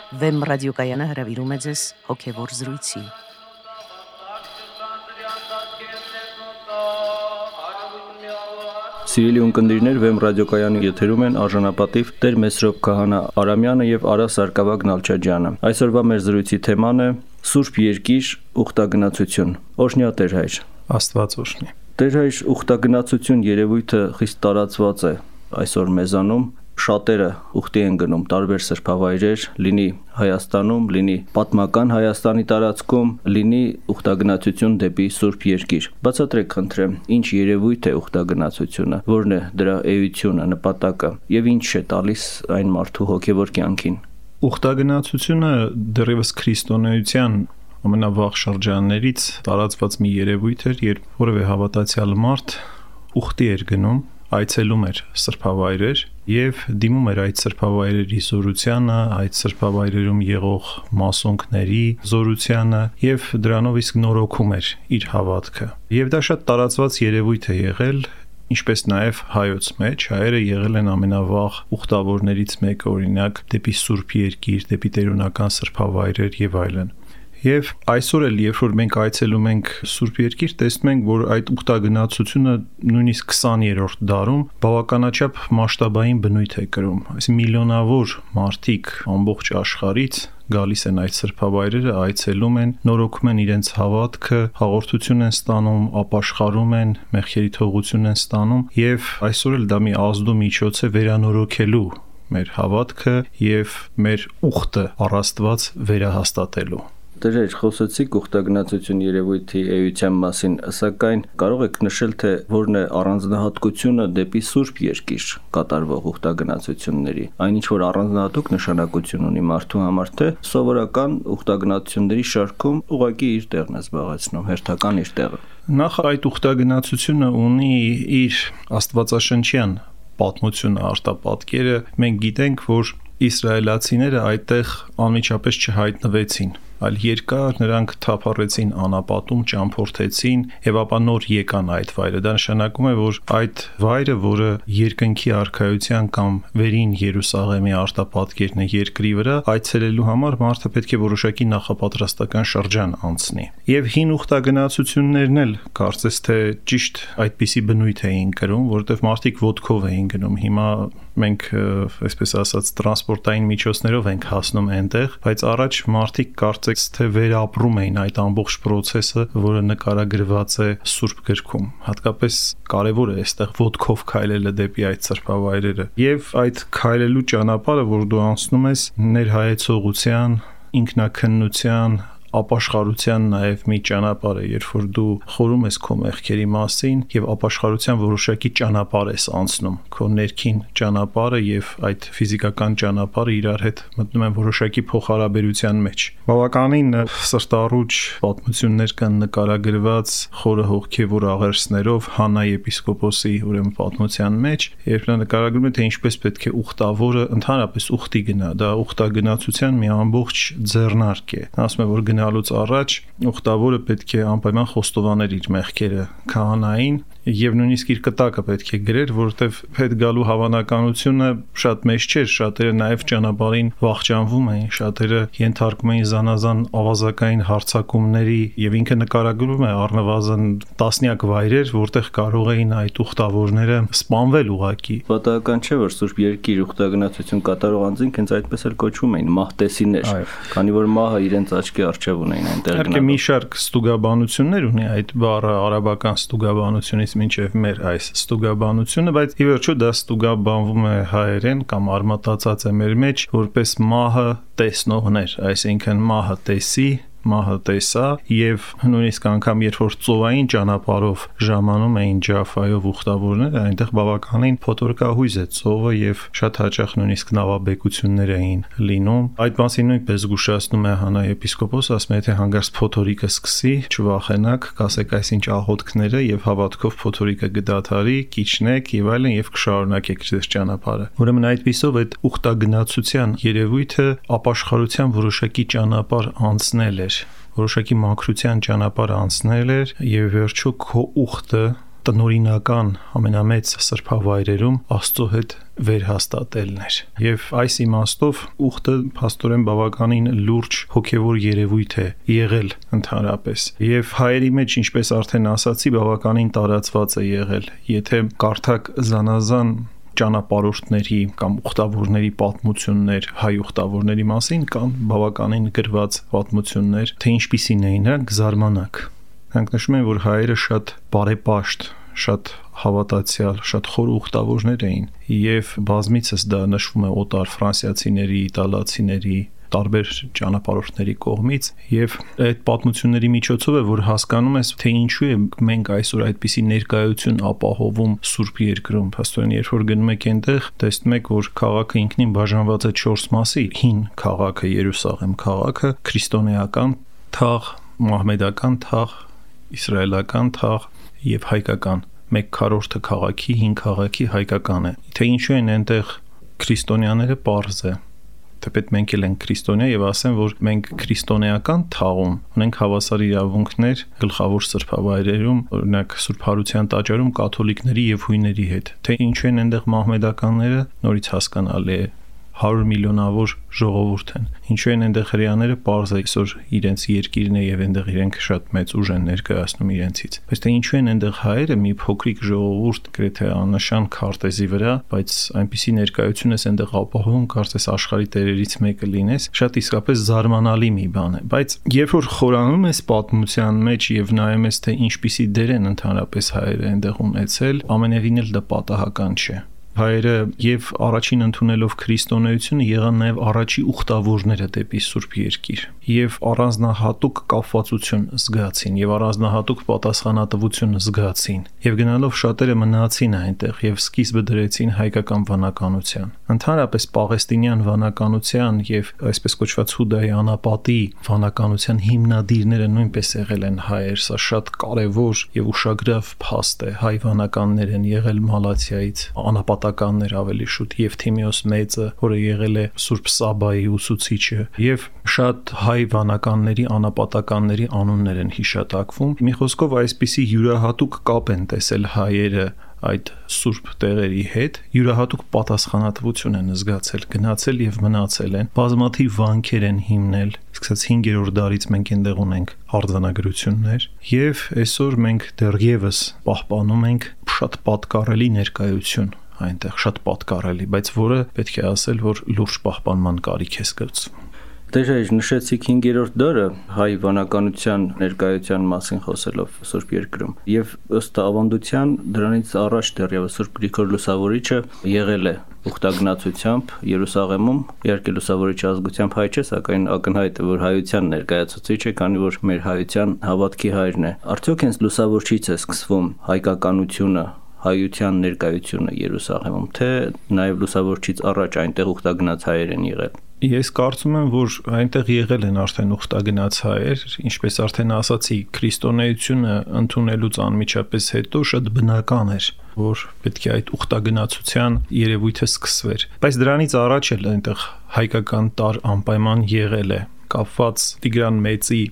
Վեմ ռադիոկայանը հրավիրում է ձեզ հոգևոր զրույցի։ Սիրելի ունկնդիրներ, Վեմ ռադիոկայանի եթերում են արժանապատիվ Տեր Մեսրոպ Քահանա Արամյանը եւ Արա Սարգսակ Նալչաջյանը։ Այսօրվա մեր զրույցի թեման է Սուրբ Երկիր ուխտագնացություն։ Օրհնյա Տեր հայր։ Աստված օրհնի։ Տեր հայր, ուխտագնացություն երևույթը խիստ տարածված է այսօր մեզանում։ Շատերը ուխտի են գնում տարբեր սրբավայրեր, լինի Հայաստանում, լինի պատմական Հայաստանի տարածքում, լինի ուխտագնացություն դեպի Սուրբ Երկիր։ Բացատրեք խնդրեմ, ինչ երևույթ է ուխտագնացությունը, որն է դրա էությունը, նպատակը եւ ինչ է տալիս այն մարդու հոգեվոր կյանքին։ Ուխտագնացությունը դեռևս քրիստոնեության ամենավաղ շրջաններից տարածված մի երևույթ էր, երբ որևէ հավատացյալ մարդ ուխտի էր գնում, այցելում էր սրբավայրեր եւ դիմում էր այդ սրբավայրերի զորությանը, այդ սրբավայրերում եղող մասոնքների զորությանը եւ դրանով իսկ նորոգում էր իր հավատքը։ Եվ դա շատ տարածված երևույթ է եղել, ինչպես նաեւ հայոց մեջ հայերը եղել են ամենավաղ ուխտավորներից մեկը, օրինակ դեպի Սուրբ Երկիր, դեպի տերունական սրբավայրեր եւ այլն։ Եվ այսօր էլ, երբ որ մենք այցելում ենք Սուրբ Երկիր, տեսնում ենք, որ այդ ուխտագնացությունը նույնիսկ 20-րդ դարում բավականաչափ մասշտաբային բնույթ է կրում։ Այսինքն միլիոնավոր մարդիկ ամբողջ աշխարհից գալիս են այդ սրբավայրերը, այցելում են, նորոգում են իրենց հավատքը, հաղորդություն են ստանում, ապաշխարում են, մեղքերի թողություն են ստանում, եւ այսօր էլ դա մի ազդու միջոց է վերանորոգելու մեր հավատքը եւ մեր ուխտը առ Աստված վերահաստատելու։ Տեր, խոսեցիք ուխտագնացություն երևույթի էության մասին, սակայն կարող եք նշել, թե որն է առանձնահատկությունը դեպի Սուրբ Երկիր կատարվող ուխտագնացությունների։ Այն ինչ որ առանձնահատուկ նշանակություն ունի մարդու համար, թե սովորական ուխտագնացությունների շարքում ուղղակի իր տեղն է զբաղեցնում, հերթական իր տեղը։ Նախ այդ ուխտագնացությունը ունի իր աստվածաշնչյան պատմությունը, արտապատկերը։ Մենք գիտենք, որ իսրայելացիները այդտեղ անմիջապես չհայտնվեցին, այլ երկար նրանք թափառեցին անապատում, ճամփորդեցին եւ ապա նոր եկան այդ վայրը։ Դա նշանակում է, որ այդ վայրը, որը երկնքի արքայության կամ վերին Երուսաղեմի արտապատկերն է երկրի վրա, այցելելու համար մարդը պետք է որոշակի նախապատրաստական շրջան անցնի։ Եվ հին ուխտագնացություններն էլ կարծես թե ճիշտ այդպիսի բնույթ էին կրում, որովհետեւ մարդիկ ոտքով էին գնում։ Հիմա մենք այսպես ասած տրանսպորտային միջոցներով ենք հասնում այնտեղ, բայց առաջ մարդիկ կարծես թե վերապրում էին այդ ամբողջ process-ը, որը նկարագրված է Սուրբ գրքում։ Հատկապես կարևոր է այստեղ ոտքով քայլելը դեպի այդ սրբավայրերը։ Եվ այդ քայլելու ճանապարհը, որ դու անցնում ես, ներհայեցողության, ինքնակննության, ապաշխարության նաև մի ճանապարհ է, երբ որ դու խորում ես քո մեղքերի մասին եւ ապաշխարության որոշակի ճանապարհ ես անցնում, քո ներքին ճանապարհը եւ այդ ֆիզիկական ճանապարհը իրար հետ մտնում են որոշակի փոխհարաբերության մեջ։ Բավականին սրտառուչ պատմություններ կան նկարագրված խորը հոգեվոր աղերսներով Հանա եպիսկոպոսի ուրեմն պատմության մեջ, երբ նա նկարագրում է, թե ինչպես պետք է ուխտավորը ընդհանրապես ուխտի գնա, դա ուխտագնացության մի ամբողջ ձեռնարկ է։ Նա ասում է, որ գնալուց առաջ ուխտավորը պետք է անպայման խոստովաներ իր մեղքերը քահանային եւ նույնիսկ իր կտակը պետք է գրեր, որովհետեւ հետ գալու հավանականությունը շատ մեծ չէր, շատերը նաեւ ճանապարհին վախճանվում էին, շատերը ենթարկում էին զանազան ավազակային հարձակումների եւ ինքը նկարագրում է առնվազն տասնյակ վայրեր, որտեղ կարող էին այդ ուխտավորները սպանվել ուղակի։ Պատահական չէ, որ Սուրբ Երկիր ուխտագնացություն կատարող անձինք հենց այդպես էլ կոչվում էին մահտեսիներ, քանի որ մահը իրենց աչքի առջև ունեին այնտեղ գնալու։ Մի շարք ստուգաբանություններ ունի այդ բառը արաբական ստուգաբանությունից մինչև մեր այս ստուգաբանությունը, բայց ի վերջո դա ստուգաբանվում է հայերեն կամ արմատացած է մեր մեջ որպես մահը տեսնողներ, այսինքն մահը տեսի, մահը տեսա եւ նույնիսկ անգամ երբ որ ծովային ճանապարհով ժամանում էին Ջաֆայով ուխտավորները, այնտեղ բավականին փոթորկահույզ է ծովը եւ շատ հաճախ նույնիսկ նավաբեկություններ էին լինում։ Այդ մասին նույնպես զգուշացնում է Հանա եպիսկոպոսը, ասում է, թե հանգարց փոթորիկը սկսի, չվախենաք, կասեք այսինչ աղոթքները եւ հավատքով փոթորիկը գդաթարի, կիջնեք եւ այլն եւ կշարունակեք ձեր ճանապարհը։ Ուրեմն այդպիսով այդ ուխտագնացության երևույթը ապաշխարության որոշակի ճանապարհ անցնել էր, որոշակի մաքրության ճանապարհ անցնել էր եւ վերջո քո ուխտը տնօրինական ամենամեծ սրբավայրերում Աստծո հետ վերհաստատելն էր։ Եվ այս իմաստով ուխտը փաստորեն բավականին լուրջ հոգևոր երևույթ է եղել ընդհանրապես։ Եվ հայերի մեջ, ինչպես արդեն ասացի, բավականին տարածված է եղել։ Եթե կարդակ զանազան ճանապարհորդների կամ ուխտավորների պատմություններ հայ ուխտավորների մասին, կան բավականին գրված պատմություններ, թե ինչպիսին էին նրանք, զարմանակ։ Նրանք նշում են, որ հայերը շատ բարեպաշտ, շատ հավատացյալ, շատ խոր ուխտավորներ էին, եւ բազմիցս դա նշվում է օտար ֆրանսիացիների, իտալացիների, տարբեր ճանապարհորդների կողմից, եւ այդ պատմությունների միջոցով է, որ հասկանում ես, թե ինչու է մենք այսօր այդպիսի ներկայություն ապահովում Սուրբ Երկրում։ Փաստորեն, երբ որ գնում եք այնտեղ, տեսնում եք, որ քաղաքը ինքնին բաժանված է 4 մասի՝ հին քաղաքը, Երուսաղեմ քաղաքը, քրիստոնեական թաղ, մահմեդական թաղ, իսրայելական թաղ եւ հայկական։ 1/4 քաղաքի, հին քաղաքի հայկական է։ Թե ինչու են այնտեղ քրիստոնյաները, պարզ է։ Թեպետ մենք էլ ենք քրիստոնյա եւ ասեմ, որ մենք քրիստոնեական թաղում ունենք հավասար իրավունքներ գլխավոր սրբավայրերում, օրինակ Սուրբ Հարության տաճարում կաթոլիկների եւ հույների հետ։ Թե ինչու են այնտեղ մահմեդականները, նորից հասկանալի է։ 100 միլիոնավոր ժողովուրդ են։ Ինչու են այնտեղ հրեաները, պարզ է, այսօր իրենց երկիրն է եւ այնտեղ իրենք շատ մեծ ուժ են ներկայացնում իրենցից։ Բայց թե ինչու են այնտեղ հայերը, մի փոքրիկ ժողովուրդ, գրեթե աննշան քարտեզի վրա, բայց այնպիսի ներկայություն է այնտեղ ապահովում, կարծես աշխարհի տերերից մեկը լինես, շատ իսկապես զարմանալի մի բան է։ Բայց երբ որ խորանում ես պատմության մեջ եւ նայում ես, թե ինչպիսի դեր են ընդհանրապես հայերը այնտեղ ունեցել, ամենևին էլ դա պատահական չէ։ Հայերը եւ առաջին ընդունելով քրիստոնեությունը եղան նաեւ առաջի ուխտավորները դեպի Սուրբ Երկիր եւ առանձնահատուկ կապվածություն զգացին եւ առանձնահատուկ պատասխանատվություն զգացին եւ գնալով շատերը մնացին այնտեղ եւ սկիզբը դրեցին հայկական վանականության։ Ընդհանրապես Պաղեստինյան վանականության եւ այսպես կոչված Հուդայի անապատի վանականության հիմնադիրները նույնպես եղել են հայեր։ Սա շատ կարեւոր եւ ուշագրավ փաստ է։ Հայ վանականներ են եղել Մալաթիայից, անապատականներ ավելի շուտ, Եվթիմիոս Մեծը, որը եղել է Սուրբ Սաբայի ուսուցիչը, եւ շատ հայ վանականների, անապատականների անուններ են հիշատակվում։ Մի խոսքով այսպիսի յուրահատուկ կապ են տեսել հայերը այդ սուրբ տեղերի հետ, յուրահատուկ պատասխանատվություն են զգացել, գնացել եւ մնացել են, բազմաթիվ վանքեր են հիմնել, սկսած 5-րդ դարից մենք այնտեղ ունենք արձանագրություններ եւ այսօր մենք դեռևս պահպանում ենք շատ պատկառելի ներկայություն այնտեղ, շատ պատկառելի, բայց որը պետք է ասել, որ լուրջ պահպանման կարիք է զգացվում։ Դե նշեցիք 5-րդ դարը հայ վանականության ներկայության մասին խոսելով Սուրբ Երկրում եւ ըստ ավանդության դրանից առաջ դեռևս Սուրբ Գրիգոր Լուսավորիչը եղել է ուխտագնացությամբ Երուսաղեմում, իհարկե Լուսավորիչի ազգությամբ հայ չէ, սակայն ակնհայտ է, որ հայության ներկայացուցիչ է, քանի որ մեր հայության հավատքի հայրն է։ Արդյոք հենց Լուսավորչից է սկսվում հայկականությունը, հայության ներկայությունը Երուսաղեմում, թե նաեւ Լուսավորչից առաջ այնտեղ ուխտագնաց հայեր են եղել։ Ես կարծում եմ, որ այնտեղ եղել են արդեն ուխտագնաց հայեր, ինչպես արդեն ասացի, քրիստոնեությունը ընդունելուց անմիջապես հետո շատ բնական էր, որ պետք է այդ ուխտագնացության երևույթը սկսվեր։ Բայց դրանից առաջ էլ այնտեղ հայկական տար անպայման եղել է, կապված Տիգրան Մեծի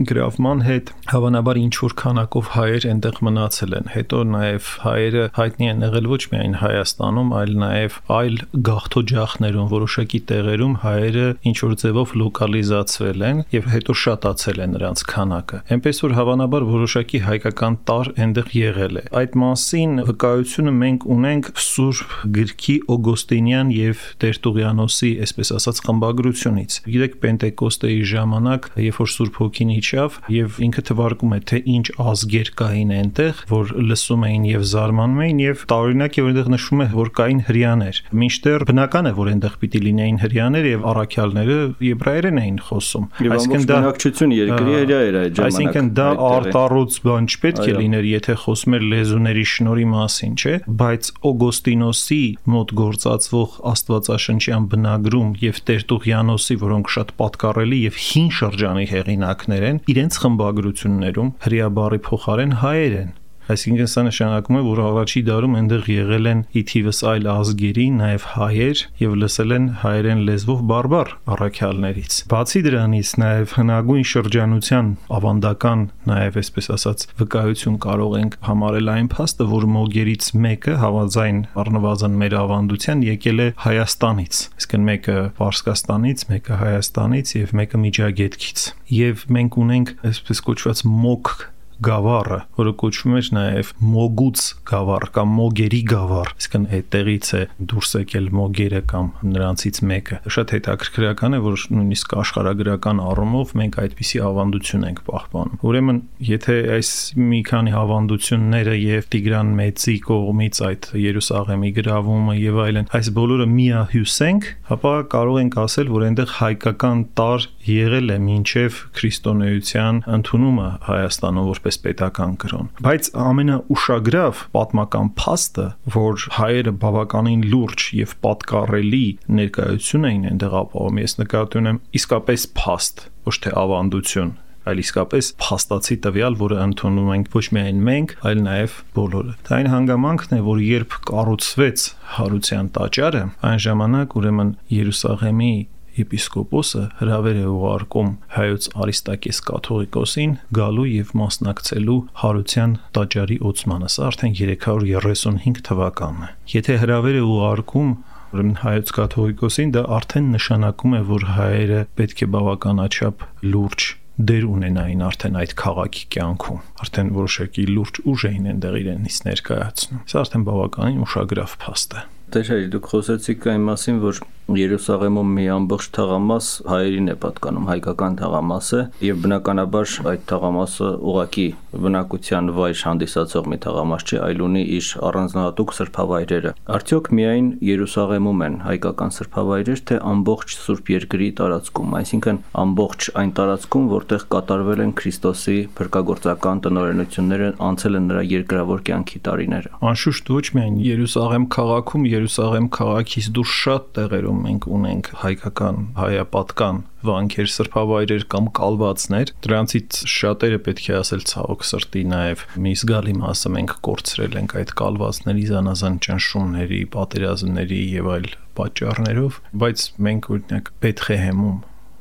գրավման հետ, հավանաբար ինչ որ քանակով հայեր այնտեղ մնացել են։ Հետո նաև հայերը հայտնի են եղել ոչ միայն Հայաստանում, այլ նաև այլ գաղթօջախներում, որոշակի տեղերում հայերը ինչ որ ձևով լոկալիզացվել են եւ հետո շատացել է նրանց քանակը։ Էնպես որ հավանաբար որոշակի հայկական տար այնտեղ եղել է։ Այդ մասին վկայությունը մենք ունենք Սուրբ Գրքի Օգոստինյան եւ Տերտուղիանոսի, այսպես ասած, խմբագրությունից։ Գիտեք, Պենտեկոստեի ժամանակ, երբ որ Սուրբ Հոգին եւ ինքը թվարկում է, թե ինչ ազգեր կային այնտեղ, որ լսում էին եւ զարմանում էին եւ տարօրինակ է, որ այնտեղ նշվում է, որ կային հрьяաներ։ Մինչդեռ բնական է, որ այնտեղ պիտի լինեին հрьяաներ եւ առաքյալները եբրայերեն էին խոսում։ Այսինքն դա բնակչություն երկրի հրյա էր այդ ժամանակ։ Այսինքն դա արտառոց բան չպետք է լիներ, եթե խոսում էր լեզուների շնորհի մասին, չէ՞, բայց Օգոստինոսի մոտ գործածվող աստվածաշնչյան բնագրում եւ Տերտուղիանոսի, որոնք շատ պատկառելի եւ հին շրջանի հեղինակներ են, իրենց խմբագրություններում հրյա բառի փոխարեն հայեր են։ Այսինքն սա նշանակում է, որ առաջի դարում այնտեղ եղել են ի թիվս այլ ազգերի, նաև հայեր եւ լսել են հայերեն լեզվով բարբար առաքյալներից։ Բացի դրանից նաև հնագույն շրջանության ավանդական նաև այսպես ասած վկայություն կարող ենք համարել այն փաստը, որ մոգերից մեկը հավանձայն առնվազն մեր ավանդության եկել է Հայաստանից, այսինքն մեկը Պարսկաստանից, մեկը Հայաստանից եւ մեկը Միջագետքից։ Եվ մենք ունենք այսպես կոչված մոգ գավառը, որը կոչվում է նաև մոգուց գավառ կամ մոգերի գավառ, այսինքն այդտեղից է դուրս եկել մոգերը կամ նրանցից մեկը։ Շատ հետաքրքրական է, որ նույնիսկ աշխարհագրական առումով մենք այդպիսի ավանդություն ենք պահպանում։ Ուրեմն, եթե այս մի քանի ավանդությունները եւ Տիգրան Մեծի կողմից այդ Երուսաղեմի գրավումը եւ այլն, այս բոլորը միահյուսենք, ապա կարող ենք ասել, որ այնտեղ հայկական տար եղել է մինչև քրիստոնեության ընդունումը Հայաստանում որպես պետական կրոն։ Բայց ամենաուշագրավ պատմական փաստը, որ հայերը բավականին լուրջ եւ պատկառելի ներկայություն էին այնտեղ ապահովում, ես նկատի ունեմ իսկապես փաստ, ոչ թե ավանդություն, այլ իսկապես փաստացի տվյալ, որը ընդունում ենք ոչ միայն մենք, այլ նաև բոլորը։ Դա այն հանգամանքն է, որ երբ կառուցվեց Հարության տաճարը, այն ժամանակ ուրեմն Երուսաղեմի եպիսկոպոսը հրավեր է ուղարկում հայոց Արիստակես կաթողիկոսին գալու եւ մասնակցելու Հարության տաճարի ոցմանը։ Սա արդեն 335 թվականն է։ Եթե հրավեր է ուղարկում ուրեմն հայոց կաթողիկոսին, դա արդեն նշանակում է, որ հայերը պետք է բավականաչափ լուրջ դեր ունենային արդեն այդ քաղաքի կյանքում։ Արդեն որոշակի լուրջ ուժ էին այնտեղ իրենից ներկայացնում։ Սա արդեն բավականին ուշագրավ փաստ է։ Դեր դուք խոսեցիք այն մասին, որ Երուսաղեմում մի ամբողջ թաղամաս հայերին է պատկանում, հայկական թաղամաս է, եւ բնականաբար այդ թաղամասը ուղակի բնակության վայր հանդիսացող մի թաղամաս չէ, այլ ունի իր առանձնահատուկ սրբավայրերը։ Արդյոք միայն Երուսաղեմում են հայկական սրբավայրեր, թե ամբողջ Սուրբ Երկրի տարածքում, այսինքն ամբողջ այն տարածքում, որտեղ կատարվել են Քրիստոսի փրկagorցական տնօրենությունները, անցել են նրա երկրավոր կյանքի տարիները։ Անշուշտ ոչ միայն Երուսաղեմ քաղաքում, Երուսաղեմ քաղաքից դուրս շատ տեղերում մենք ունենք հայկական, հայապատկան վանքեր, սրբավայրեր կամ կալվածներ, դրանցից շատերը պետք է ասել ցավոք սրտի նաև մի զգալի մասը մենք կորցրել ենք այդ կալվածների զանազան ճնշումների, պատերազմների եւ այլ պատճառներով, բայց մենք օրինակ Բեթլեհեմում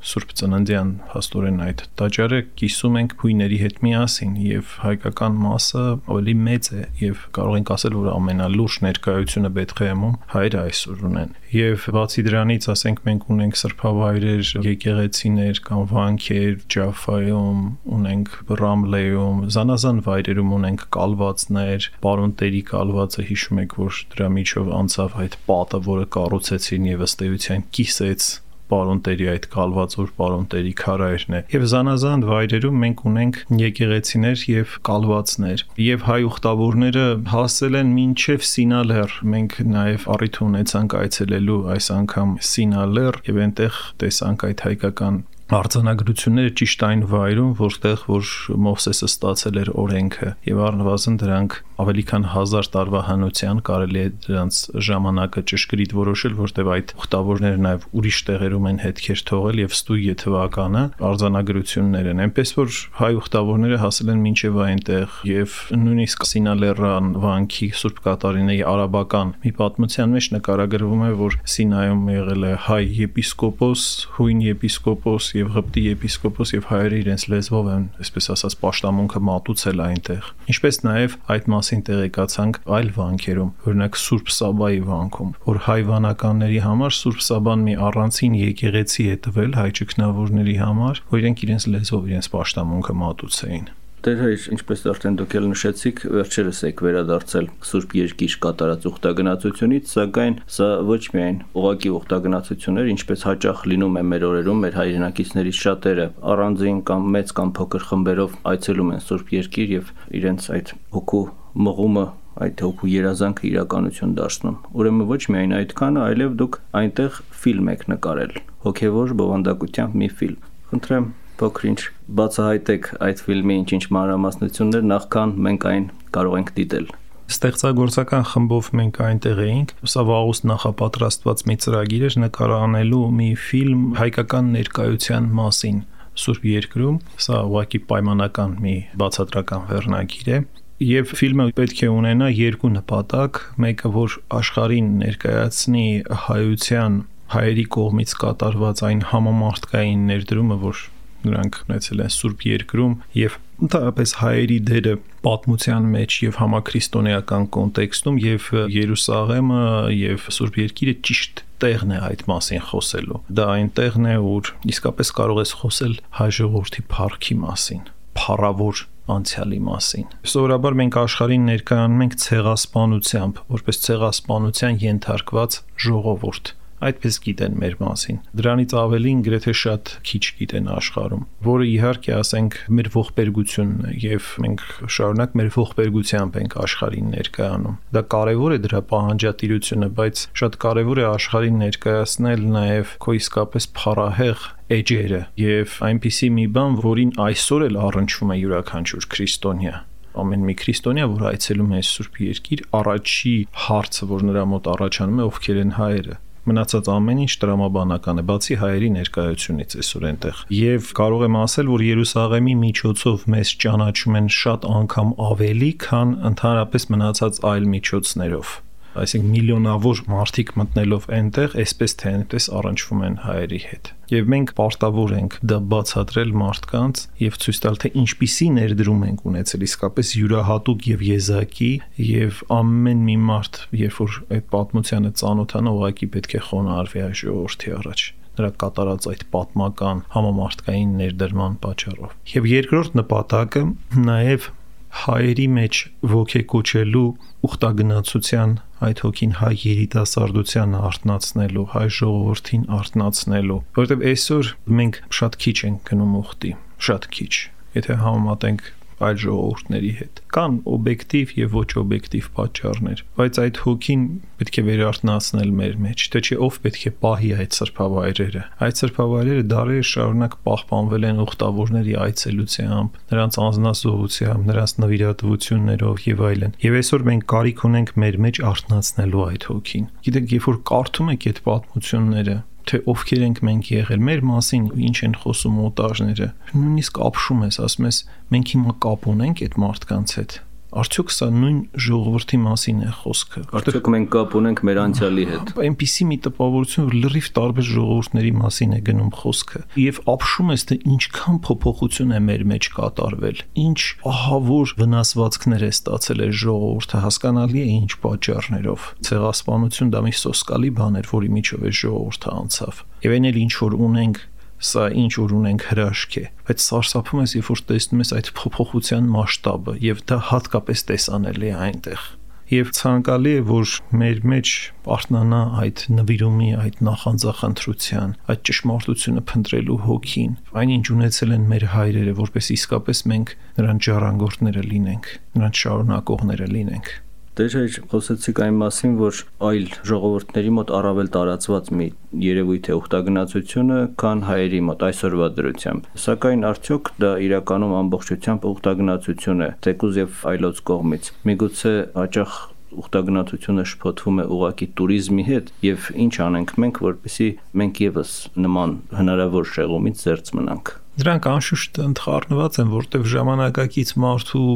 Սուրբ Ծննդյան հաստորեն այդ տաճարը կիսում ենք հույների հետ միասին եւ հայկական մասը ավելի մեծ է եւ կարող ենք ասել, որ ամենալուրջ ներկայությունը Բեթլեհեմում հայերը այսօր ունեն։ Եվ բացի դրանից, ասենք մենք ունենք սրբավայրեր, եկեղեցիներ կամ վանքեր Ջաֆայում, ունենք Ռամլեում, զանազան վայրերում ունենք կալվածներ, Պարոնտերի կալվածը հիշում եք, որ դրա միջով անցավ այդ պատը, որը կառուցեցին եւ ըստ էության կիսեց Պարոնտերի այդ կալված որ Պարոնտերի քարայրն է եւ զանազան վայրերում մենք ունենք եկեղեցիներ եւ կալվածներ եւ հայ ուխտավորները հասել են մինչեւ Սինալեռ մենք նաեւ առիթ ունեցանք այցելելու այս անգամ Սինալեռ եւ այնտեղ տեսանք այդ հայկական արձանագրությունները ճիշտ այն վայրում, որտեղ որ Մովսեսը ստացել էր օրենքը եւ առնվազն դրանք ավելի քան 1000 տարվա հնության կարելի է դրանց ժամանակը ճշգրիտ որոշել, որտեղ այդ ուխտավորները նաեւ ուրիշ տեղերում են հետքեր թողել եւ ստույգ թվականը արձանագրություններ են, այնպես որ հայ ուխտավորները հասել են մինչեւ այնտեղ եւ նույնիսկ Սինալեռան վանքի Սուրբ Կատարինեի արաբական մի պատմության մեջ նկարագրվում է, որ Սինայում եղել է հայ եպիսկոպոս, հույն եպիսկոպոս եւ Ղպտի եպիսկոպոս եւ հայերը իրենց լեզվով են, այսպես ասած, պաշտամունքը մատուցել այնտեղ։ Ինչպես նաեւ այդ մասին տեղեկացանք այլ վանքերում, օրինակ Սուրբ Սաբայի վանքում, որ հայ վանականների համար Սուրբ Սաբան մի առանցին եկեղեցի է տվել հայ ճգնավորների համար, որ իրենք իրենց լեզվով իրենց պաշտամունքը մատուցեին։ Դեր հայր, ինչպես արդեն դուք էլ նշեցիք, վերջերս եք վերադարձել Սուրբ Երկիր կատարած ուխտագնացությունից, սակայն սա ոչ միայն ուղղակի ուխտագնացություններ, ինչպես հաճախ լինում է մեր օրերում, մեր հայրենակիցներից շատերը առանձին կամ մեծ կամ փոքր խմբերով այցելում են Սուրբ Երկիր եւ իրենց այդ հոգու մղումը այդ հոգու երազանքը իրականություն դարձնում։ Ուրեմն ոչ միայն այդքանը, այլև դուք այնտեղ ֆիլմ եք նկարել, հոգևոր բովանդակությամբ մի ֆիլմ։ Խնդրեմ փոքր-ինչ բացահայտեք այդ ֆիլմի ինչ-ինչ մանրամասնություններ, նախքան մենք այն կարող ենք դիտել։ Ստեղծագործական խմբով մենք այնտեղ էինք, սա վաղուց նախապատրաստված մի ծրագիր էր նկարանելու մի ֆիլմ հայկական ներկայության մասին Սուրբ Երկրում, սա ուղղակի պայմանական մի բացատրական վերնագիր է։ Եվ ֆիլմը պետք է ունենա երկու նպատակ, մեկը որ աշխարհին ներկայացնի հայության հայերի կողմից կատարված այն համամարտկային ներդրումը, որ նրանք ունեցել են Սուրբ Երկրում եւ ընդհանրապես հայերի դերը պատմության մեջ եւ համաքրիստոնեական կոնտեքստում եւ Երուսաղեմը եւ Սուրբ Երկիրը ճիշտ տեղն է այդ մասին խոսելու։ Դա այն տեղն է, որ իսկապես կարող ես խոսել հայ ժողովրդի փառքի մասին, փառավոր անցյալի մասին։ Սովորաբար մենք աշխարհին ներկայանում ենք ցեղասպանությամբ, որպես ցեղասպանության ենթարկված ժողովուրդ։ Այդպես գիտեն մեր մասին։ Դրանից ավելին գրեթե շատ քիչ գիտեն աշխարհում, որը իհարկե ասենք մեր ողբերգությունն է եւ մենք շարունակ մեր ողբերգությամբ ենք աշխարհին ներկայանում։ Դա կարեւոր է դրա պահանջատիրությունը, բայց շատ կարեւոր է աշխարհին ներկայացնել նաեւ քո իսկապես փառահեղ էջերը եւ այնպիսի մի բան, որին այսօր էլ առնչվում է յուրաքանչյուր քրիստոնյա։ Ամեն մի քրիստոնյա, որ այցելում է Սուրբ Երկիր, առաջի հարցը, որ նրա մոտ առաջանում է, ովքեր են հայերը։ Մնացած ամեն ինչ տրամաբանական է, բացի հայերի ներկայությունից այսօր այնտեղ։ Եվ կարող եմ ասել, որ Երուսաղեմի միջոցով մեզ ճանաչում են շատ անգամ ավելի, քան ընդհանրապես մնացած այլ միջոցներով։ Այսինքն միլիոնավոր մարդիկ մտնելով այնտեղ, այսպես թե այնպես առնչվում են հայերի հետ։ Եվ մենք պարտավոր ենք դա բացատրել մարդկանց եւ ցույց տալ, թե ինչպիսի ներդրում ենք ունեցել իսկապես յուրահատուկ եւ եզակի, եւ ամեն մի մարդ, երբ որ այդ պատմությանը ծանոթանա, ուղղակի պետք է խոնարհվի այս ժողովրդի առաջ նրա կատարած այդ պատմական համամարտկային ներդրման պատճառով։ Եվ երկրորդ նպատակը նաեւ հայերի մեջ ոգեկոչելու ուխտագնացության այդ հոգին հայ երիտասարդության արտնացնելու, հայ ժողովրդին արտնացնելու, որովհետև այսօր մենք շատ քիչ ենք գնում ուխտի, շատ քիչ, եթե համեմատենք այլ ժողովուրդների հետ։ Կան օբյեկտիվ եւ ոչ օբյեկտիվ պատճառներ, բայց այդ հոգին պետք է վերարտնացնել մեր մեջ, թե չէ ով պետք է պահի այդ սրբավայրերը։ Այդ սրբավայրերը դարեր շարունակ պահպանվել են ուխտավորների այցելությամբ, նրանց անձնազոհությամբ, նրանց նվիրատվություններով եւ այլն։ Եվ այսօր մենք կարիք ունենք մեր մեջ արտնացնելու այդ հոգին։ Գիտեք, երբ որ կարդում եք այդ պատմությունները, թե ովքեր ենք մենք եղել, մեր մասին ինչ են խոսում օտարները, նույնիսկ ապշում ես, ասում ես, մենք հիմա կապ ունենք այդ մարդկանց հետ։ Արդյոք սա նույն ժողովրդի մասին է խոսքը։ Արդյոք մենք կապ ունենք մեր անցյալի հետ։ Այնպիսի մի տպավորություն, որ լրիվ տարբեր ժողովուրդների մասին է գնում խոսքը։ Եվ ապշում ես, թե ինչքան փոփոխություն է մեր մեջ կատարվել, ինչ ահավոր վնասվածքներ է ստացել այս ժողովուրդը, հասկանալի է ինչ պատճառներով։ Ցեղասպանություն դա մի սոսկալի բան էր, որի միջով այս ժողովուրդը անցավ։ Եվ այն էլ ինչ որ ունենք, սա ինչ որ ունենք հրաշք է, բայց սարսափում ես, երբ որ տեսնում ես այդ փոփոխության մասշտաբը, եւ դա հատկապես տեսանելի է այնտեղ։ Եվ ցանկալի է, որ մեր մեջ արտնանա այդ նվիրումի, այդ նախանձախնդրության, այդ ճշմարտությունը փնտրելու հոգին, այնինչ ունեցել են մեր հայրերը, որպես իսկապես մենք նրանց ժառանգորդները լինենք, նրանց շարունակողները լինենք։ Դեր խոսեցիք այն մասին, որ այլ ժողովուրդների մոտ առավել տարածված մի երևույթ է ուխտագնացությունը, քան հայերի մոտ այսօրվա դրությամբ։ Սակայն արդյոք դա իրականում ամբողջությամբ ուխտագնացություն է, թեկուզ եւ այլոց կողմից։ Միգուցե հաճախ ուխտագնացությունը շփոթվում է ուղակի туриզմի հետ, եւ ինչ անենք մենք, որպեսզի մենք եւս նման հնարավոր շեղումից զերծ մնանք։ Դրանք անշուշտ ընդխառնված են, որտեղ ժամանակակից մարդու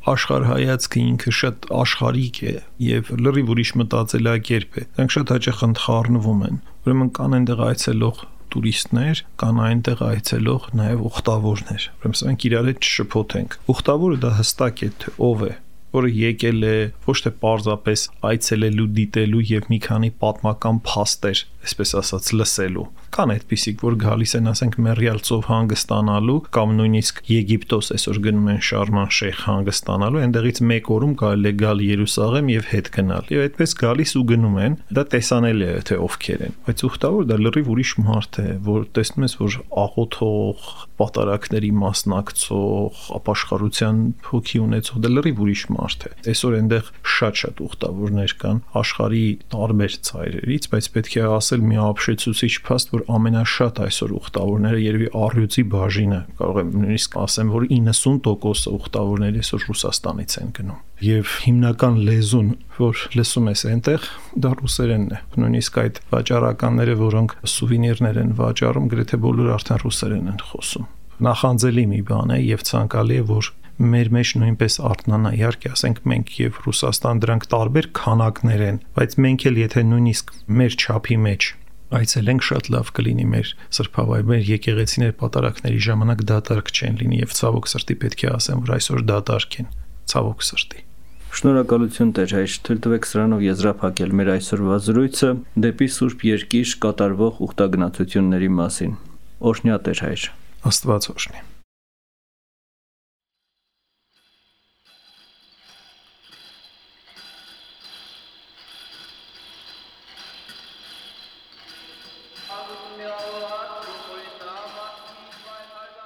աշխարհայացքը ինքը շատ աշխարհիկ է եւ լրիվ ուրիշ մտածելակերպ է։ Դրանք շատ հաճախ ընդխառնվում են։ Ուրեմն կան այնտեղ այցելող տուրիստներ, կան այնտեղ այցելող նաեւ ուխտավորներ։ Ուրեմն սրանք իրար հետ չշփոթենք։ Ուխտավորը դա հստակ է, թե ով է, որը եկել է ոչ թե պարզապես այցելելու, դիտելու եւ մի քանի պատմական փաստեր, այսպես ասած, լսելու։ Կան այդպիսիք, որ գալիս են, ասենք, Մերիալ ծով հանգստանալու կամ նույնիսկ Եգիպտոս այսօր գնում են Շարման Շեյխ հանգստանալու, այնտեղից մեկ օրում կարելի է գալ Երուսաղեմ եւ հետ գնալ։ Եվ այդպես գալիս ու գնում են, դա տեսանելի է, թե ովքեր են։ Բայց ուխտավոր դա լրիվ ուրիշ մարդ է, որ տեսնում ես, որ աղոթող, պատարակների մասնակցող, ապաշխարության հոգի ունեցող, դա լրիվ ուրիշ մարդ է։ Այսօր այնտեղ շատ ուխտավորներ կան աշխարհի տարբեր ծայրերից, բայց պետք է ասել մի ապշեցուցիչ փաստ, որ ամենաշատ այսօր ուխտավորները երևի առյուծի բաժինը, կարող եմ նույնիսկ ասեմ, որ 90% ուխտավորները այսօր Ռուսաստանից են գնում։ Եվ հիմնական լեզուն, որ լսում ես այնտեղ, դա ռուսերենն է։ Նույնիսկ այդ վաճառականները, որոնք սուվենիրներ են վաճառում, գրեթե բոլորը արդեն ռուսերեն են խոսում։ նախանձելի մի բան է եւ ցանկալի է, որ մեր մեջ նույնպես արթնանա, իհարկե, ասենք մենք եւ Ռուսաստան դրանք տարբեր քանակներ են, բայց մենք էլ եթե նույնիսկ մեր չափի մեջ այցելենք, շատ լավ կլինի մեր սրբավայրեր, եկեղեցիներ պատարակների ժամանակ դատարկ չեն լինի եւ ցավոք սրտի պետք է ասեմ, որ այսօր դատարկ են, ցավոք սրտի։ Շնորհակալություն Տեր հայր, թույլ տվեք սրանով եզրափակել մեր այսօրվա զրույցը դեպի Սուրբ Երկիր կատարվող ուխտագնացությունների մասին։ Օրհնյա Տեր հայր։ Աստված օրհնի։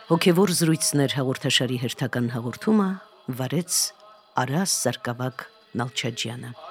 Հոգևոր զրույցներ հաղորդաշարի հերթական հաղորդումը վարեց Արաս Սարգսակ Նալչաջյանը։